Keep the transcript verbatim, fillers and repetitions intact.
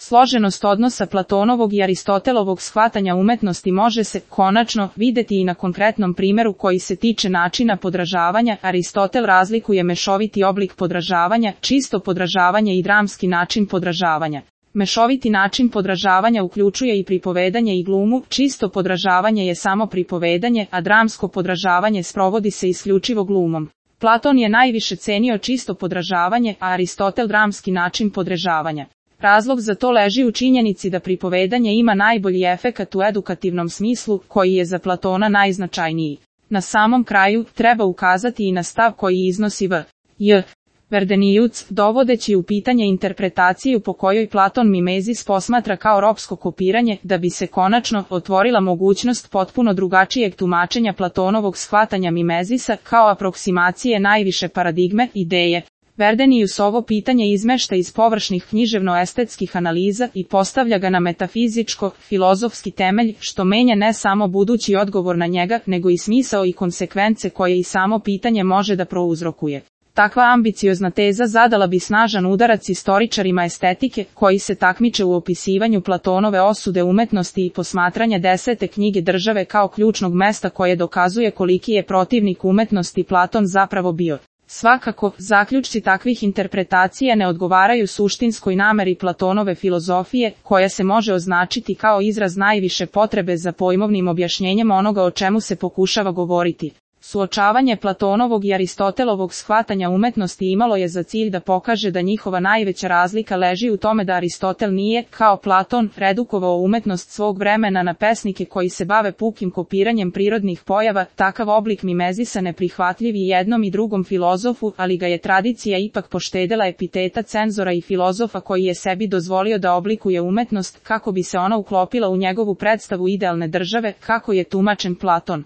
Složenost odnosa Platonovog i Aristotelovog shvatanja umetnosti može se, konačno, videti i na konkretnom primjeru koji se tiče načina podražavanja. Aristotel razlikuje mešoviti oblik podražavanja, čisto podražavanje i dramski način podražavanja. Mešoviti način podražavanja uključuje i pripovedanje i glumu, čisto podražavanje je samo pripovedanje, a dramsko podražavanje sprovodi se isključivo glumom. Platon je najviše cenio čisto podražavanje, a Aristotel dramski način podražavanja. Razlog za to leži u činjenici da pripovedanje ima najbolji efekat u edukativnom smislu, koji je za Platona najznačajniji. Na samom kraju, treba ukazati i na stav koji iznosi V. J. Verdenijuc, dovodeći u pitanje interpretaciju po kojoj Platon Mimezis posmatra kao ropsko kopiranje, da bi se konačno otvorila mogućnost potpuno drugačijeg tumačenja Platonovog shvatanja Mimezisa kao aproksimacije najviše paradigme, ideje. Verdenijus ovo pitanje izmešta iz površnih književno-estetskih analiza i postavlja ga na metafizičko-filozofski temelj, što menja ne samo budući odgovor na njega, nego i smisao i konsekvence koje i samo pitanje može da prouzrokuje. Takva ambiciozna teza zadala bi snažan udarac istoričarima estetike, koji se takmiče u opisivanju Platonove osude umetnosti i posmatranja desete knjige Države kao ključnog mesta koje dokazuje koliki je protivnik umetnosti Platon zapravo bio. Svakako, zaključci takvih interpretacija ne odgovaraju suštinskoj nameri Platonove filozofije, koja se može označiti kao izraz najviše potrebe za pojmovnim objašnjenjem onoga o čemu se pokušava govoriti. Suočavanje Platonovog i Aristotelovog shvatanja umetnosti imalo je za cilj da pokaže da njihova najveća razlika leži u tome da Aristotel nije, kao Platon, redukovao umetnost svog vremena na pesnike koji se bave pukim kopiranjem prirodnih pojava. Takav oblik mimezisa neprihvatljiv i jednom i drugom filozofu, ali ga je tradicija ipak poštedela epiteta cenzora i filozofa koji je sebi dozvolio da oblikuje umetnost kako bi se ona uklopila u njegovu predstavu idealne države, kako je tumačen Platon.